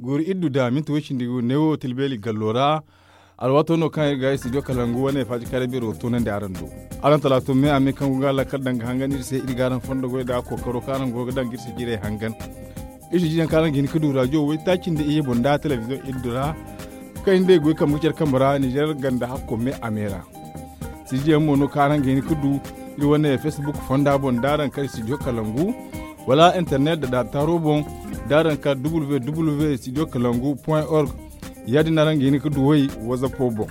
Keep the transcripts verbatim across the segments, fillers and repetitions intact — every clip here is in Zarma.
Guuru iri du da minti way cindi gu neewo tilbeeri gallo ra. Alwaato no kaŋ iri ga studio kalangu wane faaji kaaray beero toonandi araŋ do. Araŋ talaato me a me kaŋ go ga laakal daŋ ga hangan iri se iri ga araŋ fondo goy da kookaro kaŋ araŋ go ga daŋ ga iri se jiirey hangan. Iri se jiiyaŋ kaŋ araŋ ga hin ga du rajo waytaaci nda iyye boŋ nda telebiziyoŋ iri du ra. Kaŋ iri nd'ey goy kambe ga care kambe ra ninzeer ganda hakko me a me ra. Sijiyaŋ mo no kaŋ araŋ ga hin ga du iri wane facebook fonda boŋ da araŋ kar studio kalangu, wala internet da daataaro boŋ da araŋ kar www studio kalangu point org. Ya- din no araŋ ga hin ga du way wazappo boŋ.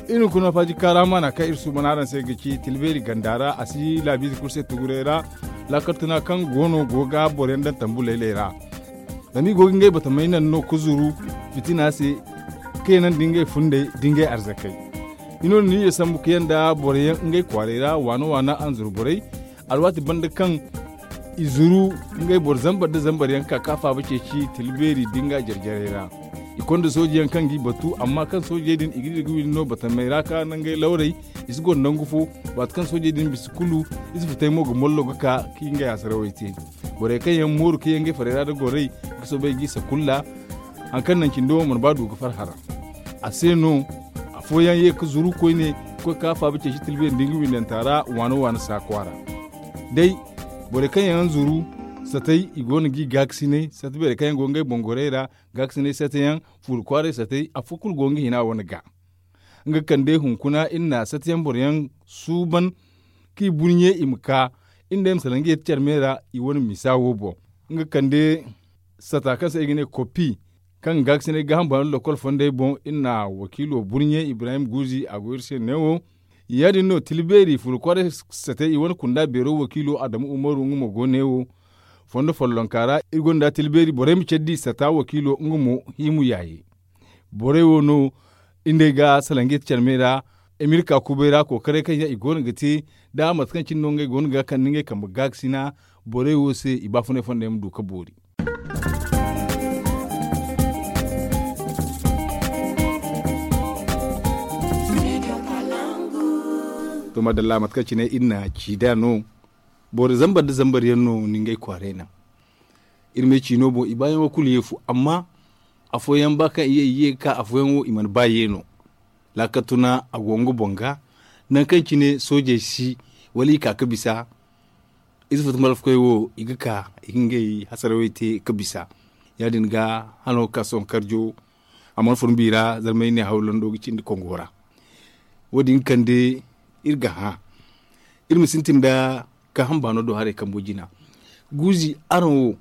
Iri hunkuna faaji kaara maana kaŋ iri suuban araŋ se ga ci tilbeeri ganda ra a si laabiize kulu se tuguray ra. Laakal tuna kaŋ go no go ga boro yaŋ daŋ tambu laylay ra. Zama i go ga ngey batamey naŋ no ga zuru fitina se, ka ye naŋ da ngey fundey da ngey arzakey. I no na niize sambu ka ye nda boro yaŋ ngey kwaaray ra waana waana anzuru borey. Alwaati banda kaŋ i zuru ngey boro zambar nda zambar yaŋ ka ka faaba ceeci tila beeri nda nga jare-jarey ra. I konda sooje yaŋ kaŋ g'i batu amma kaŋ soojey din i ga di ga windi no batamey ra ka nangey lawrey. I si goro nangu fo. Waati kaŋ soojey din bisa kulu i si futay mo ga mollo ga ka ka ngey asarawey te. Borey kaŋ yaŋ mooru ka ye ngey farey ra nda gorey ga soobay g'i sakulla. Hari kaŋ naŋ cindi wo mana ba du ga farhã ra. A se no afooyaŋ ye ga zuru koyne ga koy ga ka faaba ceeci tilbeeri nda nga windanta ra waana waana saakwa ra. Day borey kaŋ yaŋ zuru satey i go no g'i gaakasinay sata beerey kaŋ yaŋ go ngey boŋ gorey ra. Gaakasinay sata yaŋ fuuri kwaaray satey afo kulu go nga hina wane ga. Nga kande hunkuna iri na sata yaŋ boro yaŋ suuban k'i burɲe i ma ka. Iri ne ma salaŋ ga ye ti care me ra i wane misa wo boŋ. Nga kande sata kaŋ se i ga ne kopi kaŋ ga ga sinay gaaham baano lokol fondey boŋ iri na wakiilo burɲe ibrahim guuzi a go iri se neewo. Ya- din no tila beeri furo kwaaray satey i wane kunda beero wakiilo adamu umaru nga mo go neewo. Fondo follonka ra iri gonda tila beeri borey ma care di sata wakiilo nga mo hiimu yaaye. Borey wo no iri nd'ey ga salaŋ ga ye ti care me ra. Amerika kubay ra kookaray kaŋ yaŋ i go no ga te da mate kaŋ cine no ngey go no ga kande ngey kambe gaakasina. Borey wo se i baafunay fondey ma du ga boori. To madalla mate kaŋ cine iri na ci nd'a no. Boro zambar nda zambar yaŋ no ni ngey kwaaray naŋ. Iri ma ay ci no boŋ i baayaŋo kulu ye fu amma afooyaŋ ba kaŋ i ye i ye ga ka afooyaŋo i mana ba ye no. Laakal tuna a go nga boŋ ga nangu kaŋ cine soojey si wala i ka ga bisa. Ize fata malfakoy wo i ga ka i ga ngey hasarawey te ga bisa. Ya- din ga hano ga ka sohõ karjo a mana fun bi ra zarmay ne hawlando ga cindi kongo ra. Wo- din ga kande iri ga hã iri ma sintin nda gaaham baano do haray kambo jina. Guuzi araŋ wo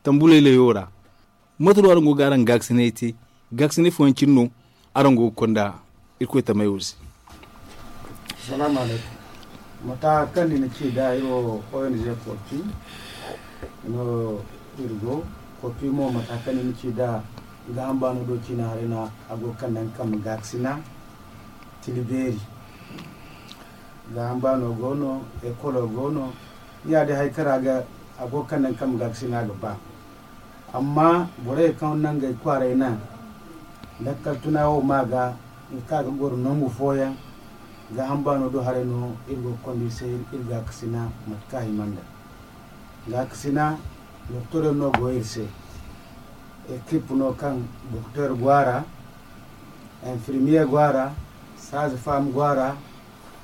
tambu laylayo ra mate no araŋ go ga araŋ gaakasinay te? Gaakasinay fooyaŋ cine no araŋ go ga konda irkoy tamey wo se. Salaamu alaykum. Mata kaŋ ni na ci nd'a iri wo ong kopi no iri go. Kopi mo mata kaŋ ni na ci nd'a gaaham baano do ciina haray no a go ga kande nga kambe gaakasina tila beeri. Gaaham baano go no ekolo go no. Ya- din hari kaŋ ra a go ga kande nga kambe gaakasina ga ba. Amma borey kaŋ na ngey kwaaray naŋ lakkal tuna wo ma ga nga ka ga goro nangu fooyaŋ. Gaaham baano do haray no iri go ga konda iri se iri gaakasina mate kaŋ a hima nda gaakasina doktor yaŋ no go iri se. Ekip no kaŋ doktor go a ra, infirmiye go a ra, saaze fam go a ra,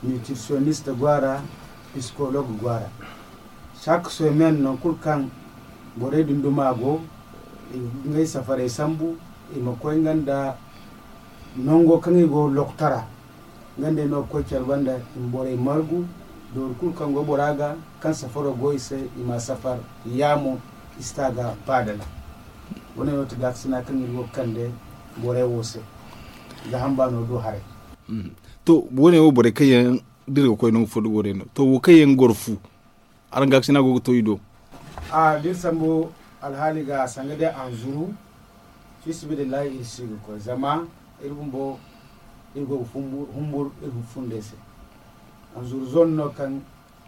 nitrisiyonist go a ra, pisikolog go a ra. Sak somen nangu kulu kaŋ borey din duma go i ga ngey safarey sambu i ma koy nga nda nango kaŋ i go loktora. Nga nd'ey no ga koy care banda i ma borey margu doori kulu kaŋ go bora ga kaŋ safaro go i se i ma safar yaamo i si ta ga baadala. Wo- ne no ti gaakasina kaŋ iri go ga kande borey wo se. Gaaham baano do haray. To wo- ne wo borey kaŋ yaŋ da iri ga koy nangu fo da borey no to wo kaŋ yaŋ goro fu araŋ gaakasina go ga to i do? A da iri sambu alhaali ga sanga day anzuru fiisabilillahi iri si ga koy zama iri bumbo iri go ga humbur iri humbur iri humbur fundey se. Anzuru zone no kaŋ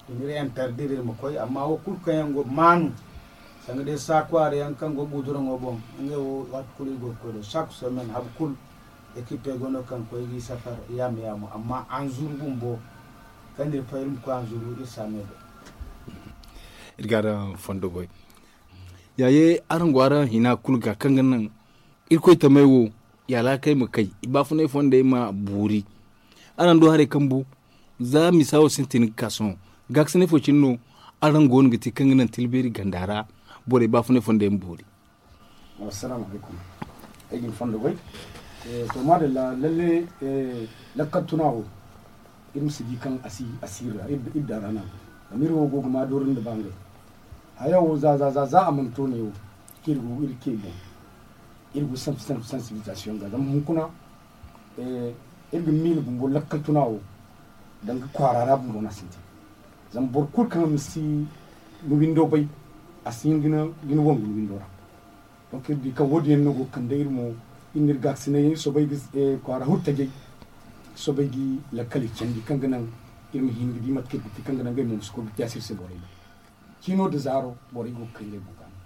i n'iri interdire iri ma koy amma wo kulu kaŋ yaŋ go maanu sanga day saakwaara yaŋ kaŋ go guuduraŋo boŋ ngey wo waati kulu iri go ga koy do sak somen habu kulu. Ekipey go no kaŋ koy g'i safar yaamo yaamo amma anzuru bumbo kaŋ iri fay iri ma koy anzuru iri si a me do. Iri ga araŋ fondo goy. Yaaye araŋ go araŋ hina kulu ga kaŋ ga naŋ Irkoy tamey wo, i alhakey ma kay, i baafunay fondey ma boori. Araŋ du haray kaŋ bu, za misa wo sintin ga ka sohõ, gaakasinay fo cine no araŋ go no ga te kaŋ ga naŋ tilbeeri ganda ra borey baafunay fondey ma boori. Assalamu alaikum. Ay ga ni fondo goy. To maadalla, lalle, lakkal tuna wo, iri ma si di kaŋ a si asiri ra, iri da ra no a go. Zama iri wo go ga ma doori nda bangay. Haya wo za za za za a mana to ne wo, kaŋ iri go iri ce boŋ. Iri go sensibilisation ga zama hunkuna, iri ga miila bumbo lakkal tuna wo, danga kwaara ra bumbo no a sintin. Zama boro kulu kaŋ ma si ni windo bay, a si hin ga ni wangu ni windo ra. Donc iri di kaŋ wo- din yaŋ no go ga kande iri mo, iri na iri gaakasinay yaŋ iri soobay ga kwaara huru tajay, iri soobay ga lakkaley candi kaŋ ga naŋ iri ma hin ga di mate kaŋ iri ga te kaŋ ga naŋ ngey mo ma si koy ga te a se iri se borey boŋ. Ciino nda zaaro borey go ga kay ngey boŋ ga no.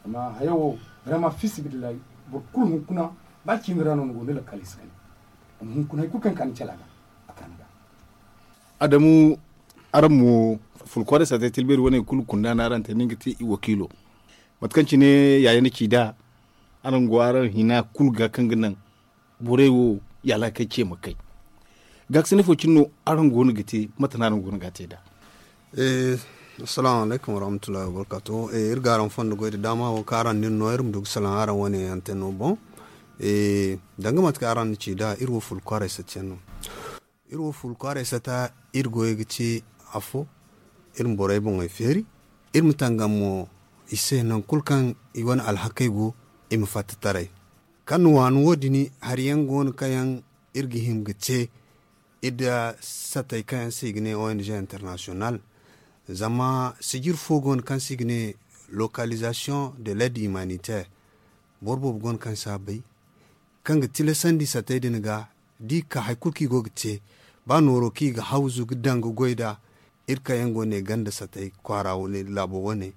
Amma haya wo, vraiment, fi sabilillahi, boro kulu hunkuna, ba ciini ra no ni go ni lakkaley si kande. Amma hunkuna hari kulu kaŋ ka ni cala ga, a ka ni ga. Adamu, araŋ mo, fulkwaaray saatey tilbeeri wane kulu kunda no araŋ te nin ga te i wakiilo. Mate kaŋ cine yaaya ni ci nd'a, araŋ go araŋ hina kulu ga kaŋ ga naŋ borey wo, yaala kaŋ ce ma kay. Gaakasinay fo cine no araŋ go no ga te, mate no araŋ go no ga te nd'a? Assalamu alaikum warahmatullahi wabarakatuh. Iri ga araŋ fondo goy da daama wo kaŋ araŋ na iri no iri ma du ga salaŋ araŋ wane anteno boŋ. Danga mate kaŋ araŋ na ci nd'a, iri wo fulkwaaray satiyaŋ no. Iri wo fulkwaaray sata, iri goyey ga te afo, iri ma borey boŋey feeri, iri ma tangam mo i se nangu kulu kaŋ i wane alhakey go, i ma fatta taray. Kaŋ ni waani wo- din, hari yaŋ go no kaŋ yaŋ iri ga hima ga te, iri da satey kaŋ yaŋ se i ga ne O N G international. Zama sijir fo go no kaŋ se i ga ne localisation de l'aide humanitaire. Boro boobo go no kaŋ si a bay, kaŋ ga tilasandi satey din ga, da i ka hari kulu kaŋ i go ga te, ba nooro kaŋ i ga hawzu ga daŋ ga goy nd'a, iri kaŋ yaŋ go ne ganda satey kwaara wane, laabo wane,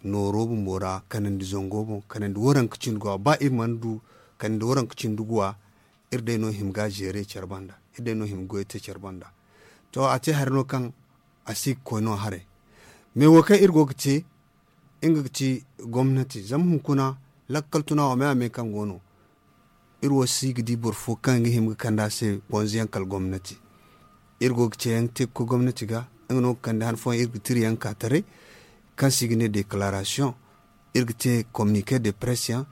nooro bumbo ra, kanandi zango boŋ, kanandi waranka cindi guwa, ba iri mana du kanandi waranka cindi guwa, iri day no hima ga a zeere care banda, iri day no hima goyo te care banda. To, a te hari no kaŋ a si ga koy no haray. Mais wo kaŋ iri go ga te, nga ga ti gomnati, zama hunkuna lakkal tuna wo me-a-me kaŋ go no. Iri wo si ga di boro fo kaŋ ga hima ga kande a se bonzoyaŋ kala gomnati. Iri go ga ceeyaŋ te ga koy gomnati ga, nga no ga kande han fooyaŋ iri ga tira yaŋ ka taray, kaŋ se i ga ne déclaration, iri ga te communiqué de presse yaŋ,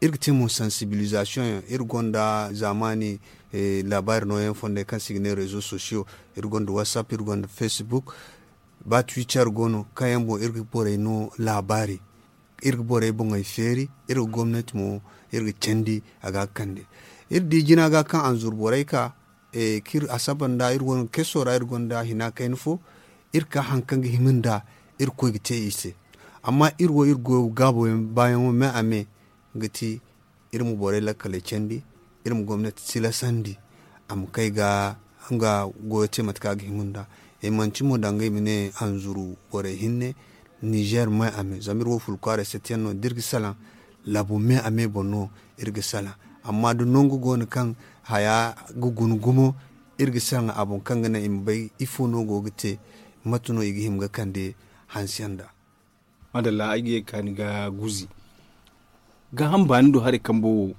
iri ga te mo sensibilisation yaŋ, iri gonda zaamaani laabaari nooyaŋ fondey kaŋ se i ga ne réseaux sociaux, iri gonda WhatsApp, iri gonda Facebook, ba Twitter go no, kaŋ yaŋ boŋ iri ga borey no laabaari, iri ga borey boŋey feeri, iri ga gomnati mo, iri ga candi a ga ga kande. Iri di jina ga kaŋ anzuru borey ka, kaŋ iri asaba nda iri wane keso ra iri gonda hina kayna fo, iri ka haŋ kaŋ ga hima nda iri koy ga te i se. Amma iri wo iri goyo ga gaabo yaŋ baayaŋo me-a-me ga ti, iri ma borey lakkaley candi, iri ma gomnati tilasandi a ma kay ga nga goyo te mate kaŋ a ga hima nda. I manti mo danga i ma ne anzuru borey hinne, Nizer me-a-me, zama iri wo fulu kwaaray satiyaŋ no da iri ga salaŋ, laabo me-a-me boŋ no iri ga salaŋ. Amma da nangu go no kaŋ haya ga guna gumo, iri ga salaŋ a boŋ kaŋ ga naŋ i ma bay ifo no go ga te, mate no i ga hima ga kande hanse nda. Madalla, ay ga ye ga kaani ga guuzi. Gaaham baani do haray kambo wo,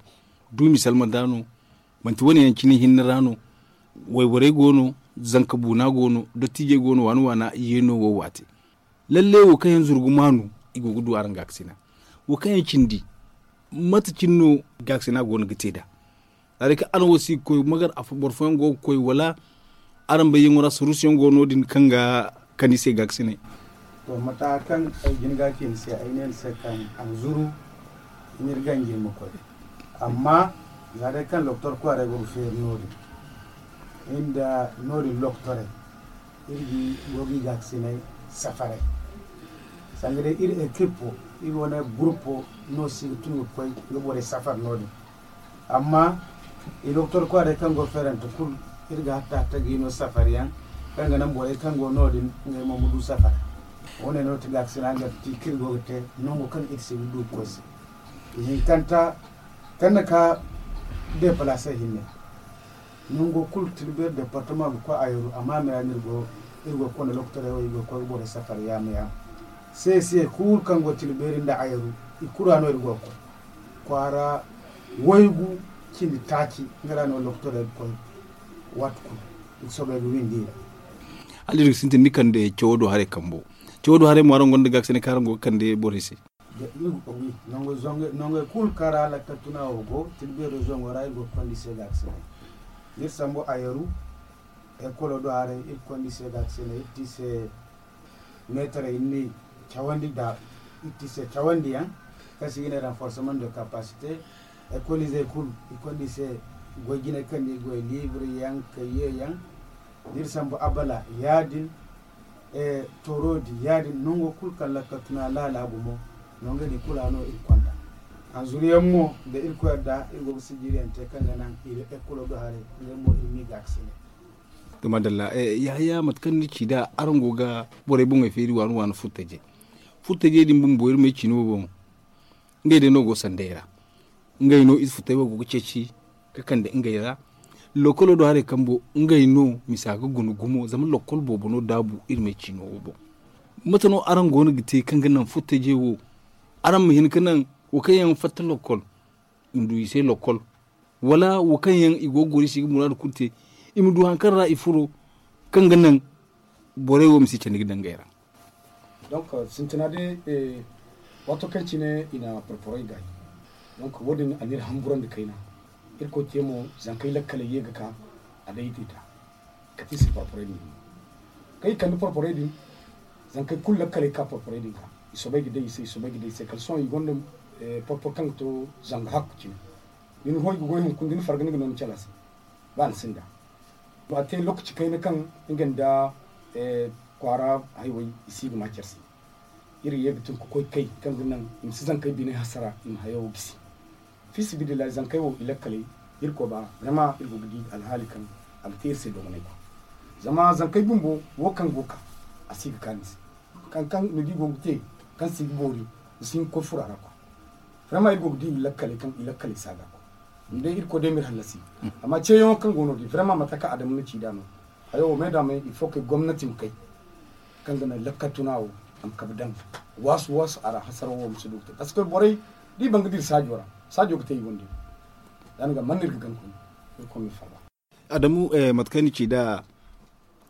duumi salma da no, manti wane yaŋ cine hinne ra no, wayborey go no, zanka buuna go no, dottiijey go no, waana waana yeeno wo waate. Lalle wo kaŋ yaŋ zurgu maanu, i go ga du araŋ gaakasina. Wo kaŋ yaŋ cindi, mate cine no gaakasina go no ga te nd'a? Za day kaŋ araŋ wo si ga koy magar, boro fooyaŋ go ga koy, wala araŋ bayyaŋo ra saruusiyaŋ go no-din kaŋ ga kande i se gaakasinay? To, mata kaŋ ay jin ga ci ni se, ay ne ni se kaŋ anzuru ni iri ganji ni ma koy. Amma za day kaŋ lokotor kwaaray go ga feeri no-din, iri nda no-din lokotorey, iri go ga i gaakasinay safaray. Sanga day iri ekippo, iri wane guruppo no si ga tun ga koy ga borey safar no-din. Amma i lokotor kwaaray kaŋ go feerante kulu, iri ga hatta hatta ga i no safar yaŋ kaŋ ga naŋ borey kaŋ go no-din ngey mo ma du safar. Wo-ne no ti gaakasina ga ti kaŋ iri go ga te nango kaŋ iri si ga du ga koy se. Ihinkanta kaŋ na ka deepalaase hinne. Nango kulu Tilbeeri departama ga koy Ayeru, amma me ra no iri go, iri go ga konda lokotorey wo, iri go ga koy ga borey safar yaama yaama. Seesiyey kulu kaŋ go Tilbeeri nda Ayeru, i kulu ra no iri go ga koy. Kwaara Waygu cindi taaci nga ra no lokotorey ga koy. Waati kulu i ga soobay ga windi i ra. Hala iri ga sintin ni kande cawo do haray kambo. Cawo do haray mo araŋ gonda gaakasinay kaŋ araŋ go ga kande borey se? Nongey kulu kaŋ ra lakkal tuna wo go tilbeero zango ra iri go ga kondi se gaakasinay. Iri sambu a yaru. Ekolo do haray iri kondi se gaakasinay iri ti se meetarey ni cawandi da iri ti se cawandiyaŋ kaŋ se i ga ne renforcement de capacité. Ekolizey kulu i kondi se goy jinay kaŋ ni goy libre yaŋ kayye yaŋ. D'iri sambu abala yaadin. Toorodi yaadin nango kulu kaŋ lakkal tuna laala gumo. Nango din kulu a no iri konda hanzuriyaŋ mo da iri koy da iri go ga sijiriyaŋ te kaŋ ga naŋ iri ekolo do haray. Ngey mo iri m'i gaakasinay. To madalla. Yahaya mate kaŋ ni ci nd'a araŋ go ga borey boŋey feeri waani waani furtajey furtajey din bumbo iri ma ay ci no boŋ. Ngey day no go sanday ra. Ngey no ize futay wo go ga ceeci ka kande ngey ra. Lokolo do haray kambo ngey no misa ga guna gumo zama lokol boobo no daabu iri ma ay ci no wo boŋ. Mate no araŋ go no ga te kaŋ ga naŋ furtajey wo? Araŋ ma hin ka naŋ wo kaŋ yaŋ fatta lokol i ma du i se lokol wala wo kaŋ yaŋ i go ga goro i se i ga muraadu kulu te i ma du hari kaŋ ra i furo kaŋ ga naŋ borey wo ma si candi ga daŋ ngey ra. Donc sintina day waato kaŋ cine i na porporey gaay. Donc wo- din a n'iri hamburandi kayna. Irkoy te mo zankey lakkaley ye ga ka a day i te ta kate i se porporey din. Kaŋ i kande porporey din zankey kulu lakkaley ka porporey din ka i soobay ga day i se i soobay ga day i se kala sohõ i gonda porpor kaŋ ga to zanga hakku cine. Ni na hoy ga goy hunkuna da ni farga ni ga no ni cala se. Ba ni sinda a te lokaci kayna kaŋ nga nda kwaara hayway i si ga ma care se. Iri ye ga tun ga koy kay kaŋ ga naŋ i ma si zankey biney hasara i ma hayo gisi. Fisibidillahi zankey wo i lakkaley iri koy ba zama iri go ga di alhaali kaŋ a ga te iri se dogonay kwa. Zama zankey bumbo wo kaŋ go ga ka a si ga kaani se. Kaŋ kaŋ ni di go ga te kaŋ si ga boori ni si hin ga koy furo a ra kwa. Vraiment iri go ga di i lakkaley kaŋ i lakkaley si a ga koy. Ni day iri koy day ma iri hallasi. Amma ceeyaŋo kaŋ go no din vraiment mate kaŋ adamu na ci nd'a no. Hayo wo me da me il faut que gomnati ma kay kaŋ ga naŋ lakkal tuna wo a ma kabe daŋ waasu waasu a ra hasaraw wo ma si du ga te parce que borey da i ban ga dira saajo ra saajo ga te i wande. Ya- din ga man no iri ga gana koy iri koy ma iri farba. Adamu mate kaŋ ni ci nd'a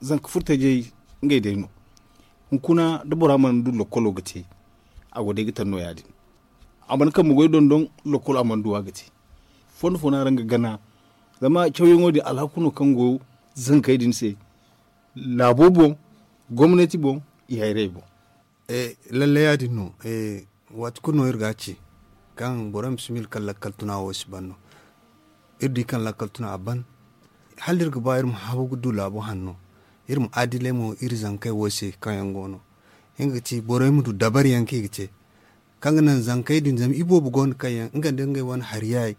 zanka furtajey ngey day no. Hunkuna da bora mana du lokolo ga te a go day ga taŋ no ya- din. A mana kambe goy dondon lokolo a mana du a ga te. Fondo fo no araŋ ga gana zama cawyaŋo din alhaku no kaŋ go zankey din se. Laabo boŋ gomnati boŋ i hayrey boŋ. Lalle ya- din no. Waati kulu no iri ga a ci kaŋ borey ma si miila kaŋ lakkal tuna wo si ban no. Iri di kaŋ lakkal tuna a ban hala iri ga ba iri ma habu ga du laabo hanno. Iri ma adiley mo iri zankey wo se kaŋ yaŋ go no. Nga ga ti borey ma du dabari yaŋ kaŋ i ga te kaŋ ga naŋ zankey din zama iboobo go no kaŋ yaŋ nga nda ngey wane hari yaayey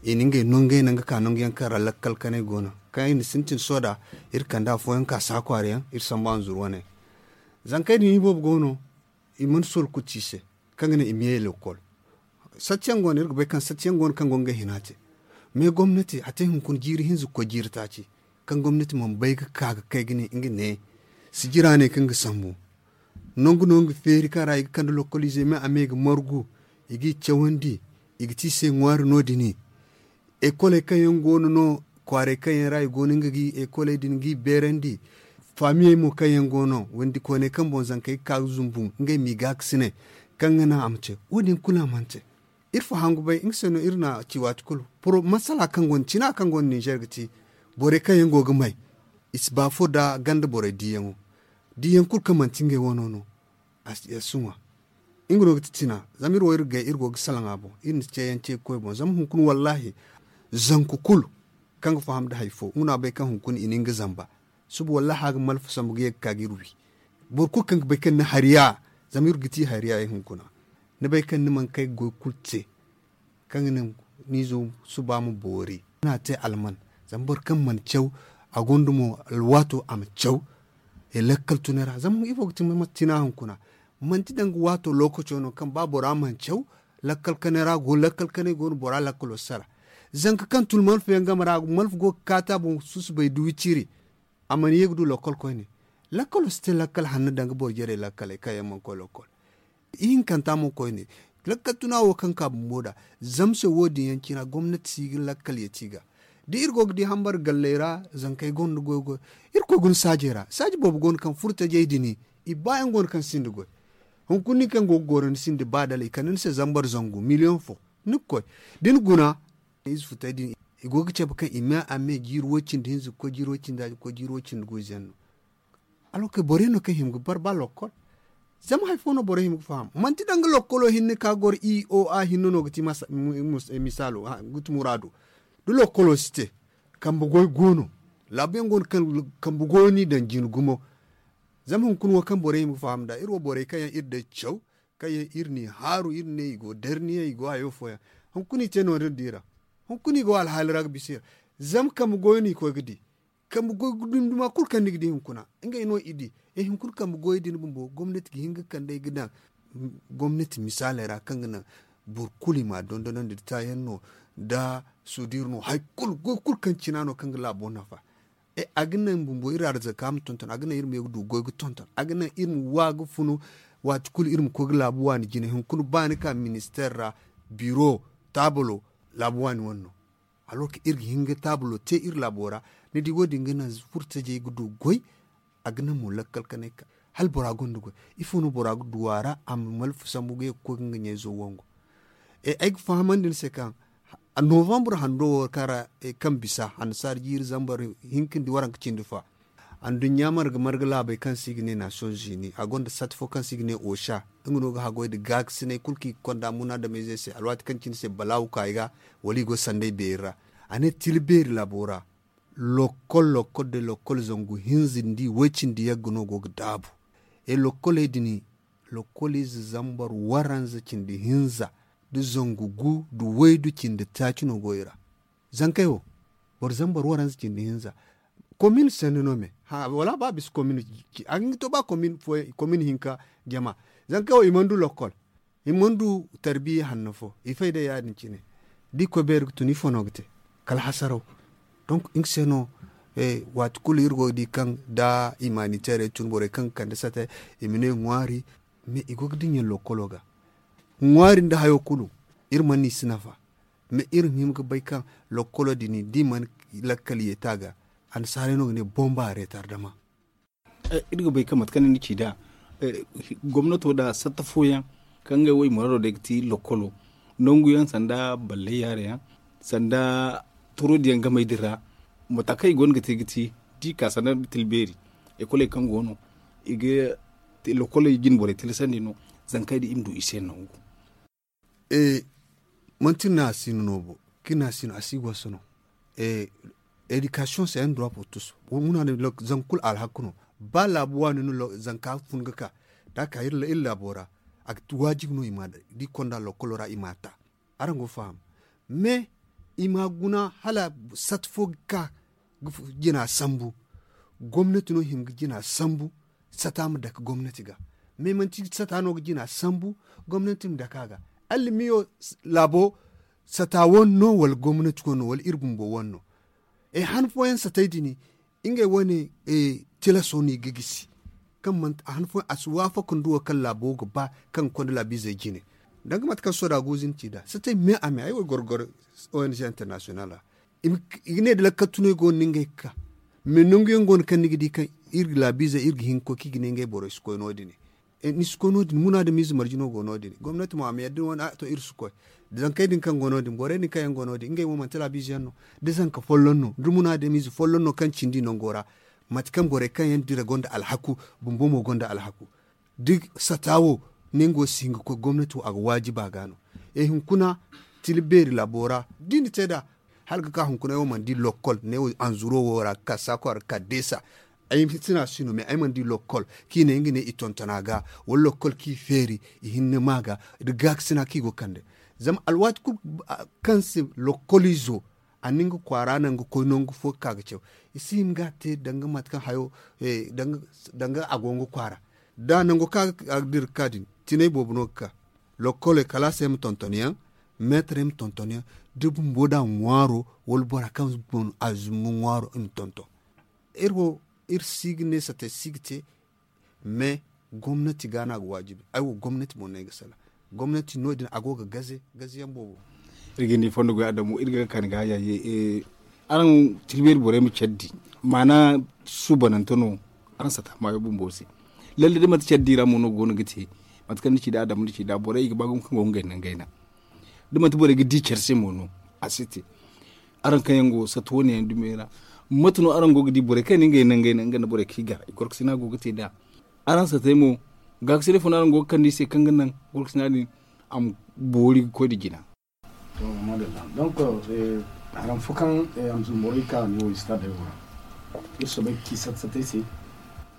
i na ngey nongey naŋ ga ka nangu yaŋ kaŋ ra lakkal kanay go no kaŋ i na sintin sohõ nd'a. Iri kande afooyaŋ ka saakwaari yaŋ iri sambu hanzur wane. Zankey din iboobo go no i mana soro kulu ci i se kaŋ ga naŋ i ma ye lokkol. Satti yaŋ go no iri ga bay kaŋ satti yaŋ go no kaŋ go ngey hina te. Mais gomnati a te hunkuna jiiri hinza ga koy jiiri taaci kaŋ gomnati mana bay ga ka ga kay ga ne nga ne sijira ne kaŋ ga sambu. Nangu no nga feeri kaŋ ra i ga kande lokkol izey me a me ga margu i g'i cawandi i ga te i se ŋwaari no- din. Ekoley kaŋ yaŋ go no no kwaarey kaŋ yaŋ ra i go no nga ga ekoley din ga i beerandi. Faamiyey mo kaŋ yaŋ go no windi kooney kaŋ boŋ zankey ga ka ga zumbu ngey m'i gaakasinay kaŋ ga naŋ a ma te wo- din kulu a mana te. Iri fo hangu bay nga se no iri na ci waati kulu. Masala kaŋ go no cina kaŋ go no ninzeer ga ti borey kaŋ yaŋ go ga may i si ba fo nda ganda borey diiyaŋo. Diiyaŋ kulu kaŋ manti ngey wano no. A si ŋwa nga no ga ti cina zama iri wo iri ga gay iri go ga salaŋ a boŋ iri na ceeyaŋ ce ga koy boŋ zama hunkuna wallaahi zanku kulu kaŋ ga faham nda hari fo nga no a bay kaŋ hunkuna i na nga zamba. Suba wallaahi a ga malfa sambu ga ye ga ka ga iri wi. Boro kulu kaŋ ga bay kaŋ ni hari ya zama iri ga ti hari ya hunkuna. Ni bay kaŋ ni mana kay ga goy kulu te kaŋ ga naŋ ni izo suba ma boori. Ni n'a te alman zama boro kaŋ mana caw a gonda mo alwaato a ma caw. Lakkal tunay ra zama ifo ga ti mate cina hunkuna manti danga waato lookaco no kaŋ ba bora mana caw. Lakkal kanay ra go lakkal kanay go no bora lakkalo sara. Zanka kaŋ tun malfa yaŋ game ra malfa go ga kaata boŋ susubay da wiciri. A mana ye ga du lakkal koyne. Lakkalo si te lakkal hanno danga boro jarey lakkaley kaŋ yaŋ mana koy lakkal. Ihinkanta mo koyne Lakkal tuna wo kaŋ ka bumbo nd'a. Zama se wo- din yaŋ cina gomnati si ga lakkal yeti ga. Da iri go ga di hambar galley ra, zankey gonda goy goy. Iri koy guna saajey ra saaji boobo go no kaŋ furtajey din i ba yaŋ go no kaŋ sinda goy. Hunkuna ni kaŋ go ga goro ni sinda ba dala i kande ni se zambar zangu miliyoŋ fo. Ni ga koy da ni guna, ize futey din i go ga cabe kaŋ i me a me jiiri way cindi hinza ga koy jiiri way cindi hinza ga koy jiiri way cindi guuze yaŋ no. Alwakey borey no kaŋ hima ga bar ba lokkol. Zama hari fo no borey hima ga faham manti danga lokkolo hinne ka goro i o a hinne no ga ti misaalo ga ti muraado. Da lokkolo si te, kambe goy go no. Laabu yaŋ go no kaŋ kambe goy no i daŋ jina gumo. Zama hunkuna wo kaŋ borey hima ga faham nd'a iri wo borey kaŋ yaŋ iri day caw, kaŋ yaŋ iri n'i haaru iri ne i go darniyaŋ i go hayo fooyaŋ. Hunkuna i te noodin da i ra. Hunkuna i go alhaali ra ga bisa i ra. Zama kambe goy no i koy ga di. Kambe goy dumi-duma kulu kaŋ ni ga di hunkuna, ngey no i di. E hunkuna kambe goy din bumbo gomnati ga hin ga kand'ey ga daŋ gomnati misaaley ra kaŋ ga naŋ boro kulu i m'a dondonandi da taayaŋ no, da suudir no hari kulu goy kulu kaŋ cina no kaŋ ga laabo nafa. E a ga naŋ bumbo iri arzaka ma tonton a ga naŋ iri ma ye ga du goy ga tonton a ga naŋ iri ma wa ga funu. Waati kulu iri ma koy ga laabu waani jine hunkuna ba ni ka ministeer ra, biro, taabalo, laabu waani wane no. Alor kaŋ iri ga hin ga taabalo te iri laabo ra. Ni di wo- din ga naŋ furtajey ga du goy. A ga naŋ mo lakkal kanay ka hala bora gonda goy. Ifo no bora ga du a ra a ma malfa sambu ga ye ga koy ga nga ɲayzo wangu. Ay ga fahamandi ni se kaŋ novembre hando wo kaŋ ra kaŋ bisa hannasaara jiiri zambar hinka nda waranka cindi fa. Anduɲɲa marga marga laabey kaŋ se i ga ne nations unis a gonda sat fo kaŋ se i ga ne oca. Nga no ga haggoy nda gaakasinay kulu kaŋ i ga konda munaadameyzey se alwaati kaŋ cine se balaawu ka i ga wala i go sanday beeri ra. A ne tila beeri laabo ra. Lokkol lokkol day lokkol zangu hinza nda i way cindi yagga no go ga daabu. E lokkoley din lokkol ize zambar waranza cindi hinza nda zangu gu nda waydu cindi taaci no go i ra. Zankey wo boro zambar waranza cindi hinza. Komin sanni no me wala ba bisa komin. A ga hin ga to ba komin hinka jama. Zankey wo i mana du lokkol. I mana du tarbiya hanno fo i fay day ya- din cine. Da i koy beeri ga tun ifo no ga te? Kala hasaraw. Donk nga se no waati kulu iri go ga di kaŋ da imaniteerey tun borey kaŋ ga kande sata i ma ne ŋwaari. Mais i go ga dinya lokkolo ga ŋwaari nda hayo kulu. Iri mana i si nafa. Mais iri ma hima ga bay kaŋ lokkolo din da i mana lakkal yeeta ga. Annasaarey no ga ne bomba retardama. Iri ga bay kaŋ mate kaŋ ni ci nd'a gomnato nda satta fooyaŋ kaŋ ngey wo i muraado day ga ti lokkolo nangu yaŋ sanda ballay yaara yaŋ sanda toroodi yaŋ gamey din ra. Mate kaŋ i go no ga te ga ti da i ka sanda tila beeri ekoley kaŋ go no i ga lokoley jine borey tilasandi no. Zankey din i ma du i se nangu. Manti iri ne a si no no bo kaŋ iri ne a si no a si goso no. Edikasiyoŋ se ay na duwa portus. Muna ne zangu kulu alhaku no. Ba laabu waani no zanka fun ga ka da a ka iri laabo ra. A ga ti waajibi no i ma da i konda lokkolo ra i ma a ta. Araŋ go ga faham. Me i ma guna hala sat fo ga ka ga jina sambu. Gomnati no hima ga jina sambu. Sata ma dake gomnati ga. Me manti sata no ga jina sambu gomnati ma dake a ga. Allimiyo laabo sata wane no wala gomnati wane no wala iri bumbo wane no? E han fooyaŋ satay din ngey wane tilaso no i ga gisi. Kaŋ manti a han fooyaŋ a si waafaka nda wo kaŋ laabo ga ba kaŋ ga konda laabiizey jine. Danga mate kaŋ soda guuzu ni ci nd'a satay me a me ay wo ay goro goro. Ong international ra i ga ne da lakkal tunay go no ngey ga ka. Mais nangu yaŋ go no kaŋ ni ga di kaŋ iri ga laabiizey iri ga hin ga koy kaŋ i ga ne ngey borey si koy no- din. Ni si koy no- din munaadamiize marje no go no- din gomnati mo a ma yadda ni wane a to iri si koy. Da zankey din kaŋ go no- din borey din kaŋ yaŋ go no- din ngey wo manti laabiize yaŋ no. Da zanka folloŋ no da munaadamiize folloŋ no kaŋ cindi nango ra. Mate kaŋ borey kaŋ yaŋ dira gonda alhaku bumbo mo gonda alhaku. Da sata wo nango si hin ga koy gomnati wo a ga waajiba ga no. E hunkuna tila beeri laabo ra da i na te nd'a. Hala ga ka hunkuna ay wo mana di lokkol ne wo anzuro wo ra ga ka saako ra ga ka deesa. Ay si no a si no mais ay mana di lokkol kaŋ i ne nga ne i tonton a ga wala lokkol kaŋ i feeri i hinne ma ga. Da gaakasina kaŋ i go ga kande zama alwaati kulu kaŋ se lokkoliizo a na nga kwaara naŋ ga koy nangu fo ga ka ga caw. I si hin ga a te danga mate kaŋ hayo danga a go nga kwaara. Da nango kaŋ a ga dira ga ka din tinay boobo no ga ka. Lokkoley kalaasey ma tonton yaŋ meetarey ma tonton yaŋ da bumbo da ŋwaaro wala bora kaŋ a zumbu ŋwaaro i ma tonton. Iri wo iri si ga ne satay si ga te. Mais gomnati ga no a ga waajibi ay wo gomnati boŋ no ay ga salaŋ. Gomnati no- din a go ga gaze gaze yaŋ boobo. Iri ga ni fondo goy adamu iri ga kaani ga yaye. Araŋ tilbeeri borey ma care di maana suubanante no. Araŋ sata maayo bumbo se lalle da manti care di ra mo no go no ga te. Mate kaŋ ni ci da adamu ni ci da borey i ga ba gumo kaŋ go ga ngey naŋ gayna. Da manti borey ga di care se mo no a si te. Araŋ kaŋ yaŋ go sata wane yaŋ dumey ra, mate no araŋ go ga di borey kaŋ ni ngey naŋ gayna nga nda borey kaŋ i gar i gorkasina go ga te da araŋ satey mo. Gaakasinay fo no araŋ go ga kande i se kaŋ ga naŋ gorkasina din a ma boori ga koy nda jina. Donc, haram fo kaŋ a ma zumborey ka ne wo stade wo ra. Iri soobay ga ci sata satey se.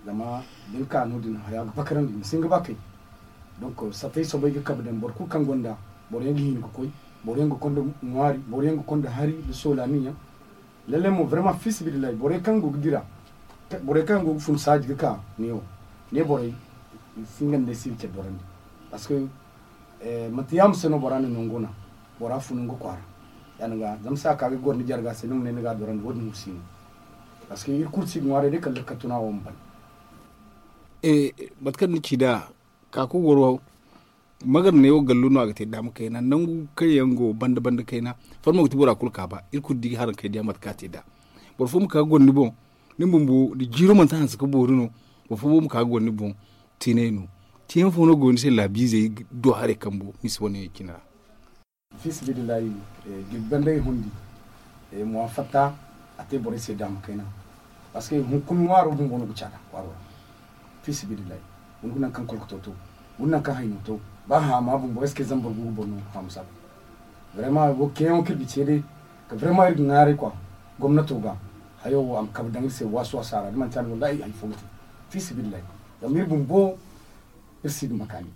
Zama da ni ka no- din haya ga bakarandi ni si hin ga ba kay. Donc satey soobay ga kabe daŋ boro kulu kaŋ gonda boro yaŋ ga hin ga koy, boro yaŋ ga konda ŋwaari, boro yaŋ ga konda hari da soolani yaŋ. Lalle mo vraiment fi sabilillahi borey kaŋ go ga dira, borey kaŋ go ga fun saaji ga ka ne wo, ne borey si nga nda si ga care borandi. Parce que manti yaama se no bora na nango na bora funu nga kwaara. Yaadin ga zama sa ka ga goro ni jarga se ni ma ne ni ga dorandi wo- din wo si no. Parce que iri kulu si ga ŋwaaray day kala da kattuna wo ma ban. Mate kaŋ ni ci da ka ku goro magar ne wo gallu no a ga te daama kayna nangu kaŋ yaŋ go banda banda kayna. Farmo ga ti bora kulu ka ba iri kulu di ga haran kay diya mate kaŋ a te da. Boro fo ma ka ga goro ni boŋ ni bumbo da jiiro manti hanse ka boori no. Boro fo ma ka ga goro ni boŋ tiinay no. Tiiyaŋ fo no go ni se laabiizey do haray kambo misi wane cine ra. Fi sabilillahi, jirbi banda i hundi, mo a fatta a te borey se daama kayna. Parce que hunkuna ŋwaaro bumbo no ga caada kwaaro ra. Fi sabilillahi, guna nangu kaŋ kolkoto to, guna nangu kaŋ hayno to, ba haama bumbo est-ce que zambar gu ga boro no haama saba? Vraiment wo keeyaŋo kaŋ iri ga ce day ka vraiment iri ga ŋwaaray kwa gomnato ga. Hayo wo a ma kabe daŋ iri se waasi waasi a ra da manti yaadin wallahi hari fo ga te. Fi sabilillahi, zama iri bumbo iri si ga makaani.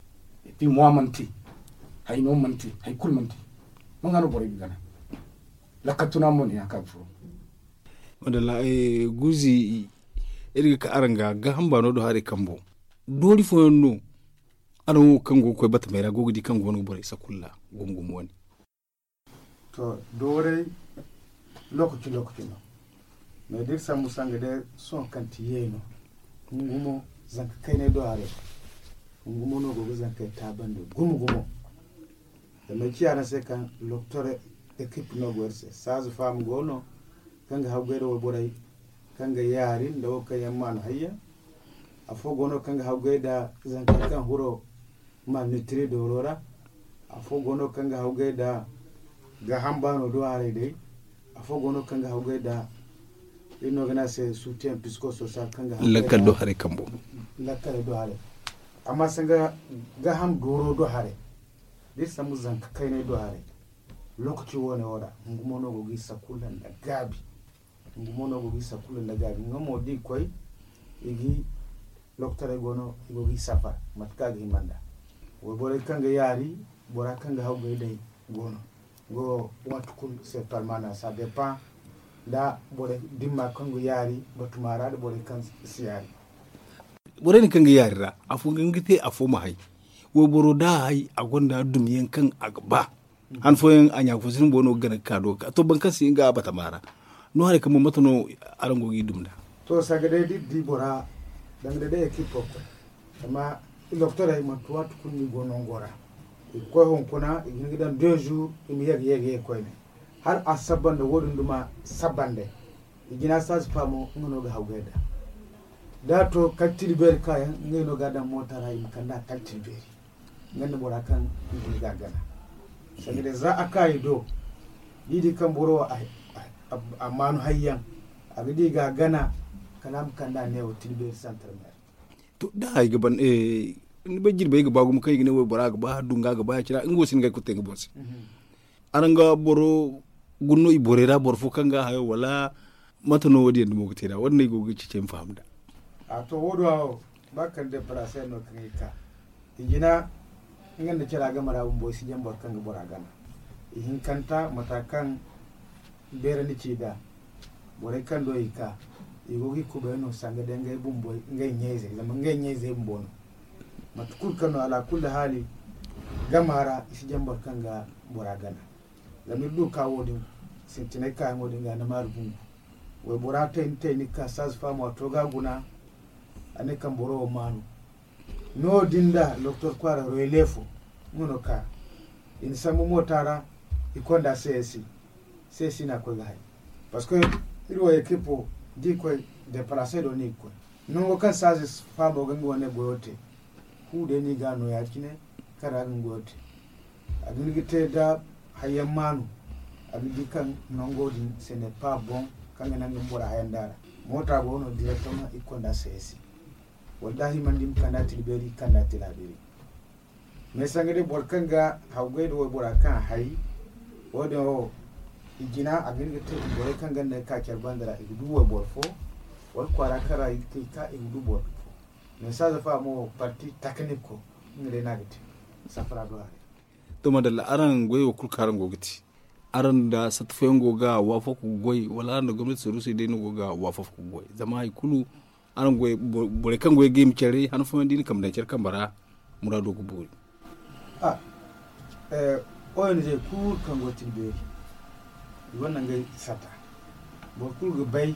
Et puis mo a mana te, hayno mana te, hay kulu mana te. Manga no borey ga gana lakkal tuna mo ne ya ka ga furo. Madalla. Guuzi, iri ga ka araŋ ga gaaham baano do haray kambo doori fooyaŋ no. Araŋ wo kaŋ go ga koy batamey ra go ga di kaŋ go no ga borey sakulla gumo gumo wane. To dooray lokaci lokaci no. Mais da iri sambu sanga day sohõ kaŋ ti yeeno, hungumo zanka kaynay do haray. Hungumo no go ga zankey taabandi gumo gumo. Zama ay ci araŋ se kaŋ loktor ekip no go iri se, saaza faamu go no kaŋ ga haggoy da wayborey kaŋ ga yaari nda wo kaŋ yaŋ maanu hayyaŋ. Afo go no kaŋ ga haggoy da zankey kaŋ huro malnitiri dooro ra. Afo go no kaŋ ga haggoy da gaaham baano do haray day. Afo go no kaŋ ga haggoy da iri no ga ne a se soutien psychosocial kaŋ ga haggoy lakkal do haray kambo. Lakkal do haray. Amma sanga gaaham dooro do haray da iri sambu zanka kaynay do haray. Lokaci wane wo ra hungumo no go ga i sakulla nda gaabi. Nga mo no go ga i sakulla nda gaabi nga mo da i koy i ga i loktorey go no i go ga i safar mate kaŋ a ga hima nda wayborey kaŋ ga yaari bora kaŋ ga haggoy day go no. Nga wo waati kulu se palmana ça dépend nda borey dimma kaŋ ga yaari batuma ra nda borey kaŋ si yaari. Borey din kaŋ ga yaari ra afo ga nga te afo ma hay. Wayboro da a hay a gonda dumyaŋ kaŋ a ga ba. Han fooyaŋ a ɲaafo sinda boro no ga gana ga ka do ga ka to boro kaŋ si nga a batama ra. No haray kaŋ mo mate no araŋ go ga i dum nd'a? To sanga day da iri di bora danga day da ekipo koy zama i loktorey manti waati kulu no i go nango ra. I ga koy hunkuna i ga hin ga daŋ deux jours i ma ye ga ye ga ye koyne hala a saba nda wo- din duma saba nda i jina saaza faamo nga no ga hawgay nd'a. Da a to kala tila beeri kaayaŋ ngey no ga a daŋ moota ra i ma kand'a kala tila beeri. Nga nda bora kaŋ i ga gana sanga day za a ka i do da i di kaŋ boro wo a maanu hayyaŋ a ga di ga gana kala a ma kand'a neewo tilbeeri santar meera. To da ay ga ban ni bay jirbey ga ba gumo kaŋ i ga ne wo bora ga ba dunga ga ba ya cira nga wo si ni ga ay kulu te nga boŋ se. Araŋ ga boro guna no i borey ra boro fo kaŋ ga hayo wala mate no wo- din yaŋ dumo ga te da wo- din no ay go ga ceeci ay ma faham nd'a. A to wo- do wo ba kala deparase no kaŋ ay ka i jina nga nda cara game ra bumbo i si jaŋ boro kaŋ ga bora gana. I hinkanta mata kaŋ beerandi ci nd'a borey kaŋ do i ka i go ga i kubay no sanga day ngey bumbo ngey ɲayzey zama ngey ɲayzey bumbo no. Mate kulu kaŋ no alaakulli haali gama ra i si jaŋ boro kaŋ ga bora gana. Zama iri du ka wo- din sintinay kaayaŋo din ga ni maaru bungu. Waybora tayni tayni ga ka saaza faamo a to ga a guna a ne kaŋ boro wo maanu. No- din nda doktor kwaara royele fo nga no ka i na sambu moota ra. I konda c s i c s i na koy ga hay. Parce que iri wo ekipo da i koy deplase do no i ga koy. Nango kaŋ saaze faamo ga nga wane goyo te, fu day no i ga no ya- cine kaŋ ra ga nga goyo te. A ga ni ga te da hayyaŋ maanu. A ga di kaŋ nango din se ne pa boŋ kaŋ ga naŋ ga bora hayanda ra. Moota go no direktoma i konda c s i. Wala da himandi ma kanda tilbeeri kanda tilaabeeri. Mais sanga day boro kaŋ ga hawgay da waybora kaŋ a hay, wo-din wo i jina a ga hin ga te i borey kaŋ ga ne ka care banda ra i ga du wayboro fo, wala kwaara kaŋ ra i ga te i ka i ga du boro fo. Mais saaza fa mo parti takaniko nga day no a ga te. Safara do haray. To madalla, araŋ goy wo kulu kaŋ araŋ go ga te, araŋ da satta fooyaŋ go ga waafako ga goy, wala araŋ da gomnati saruusey day no go ga waafako ga goy? Zama hari kulu araŋ goy borey kaŋ goy ga i ma care han fooyaŋ da i na kambe daŋ care kambe ra, muraado ga boori. Ong kulu kaŋ go ga tilbeeri i gonda ngey sata. Boro kulu ga bay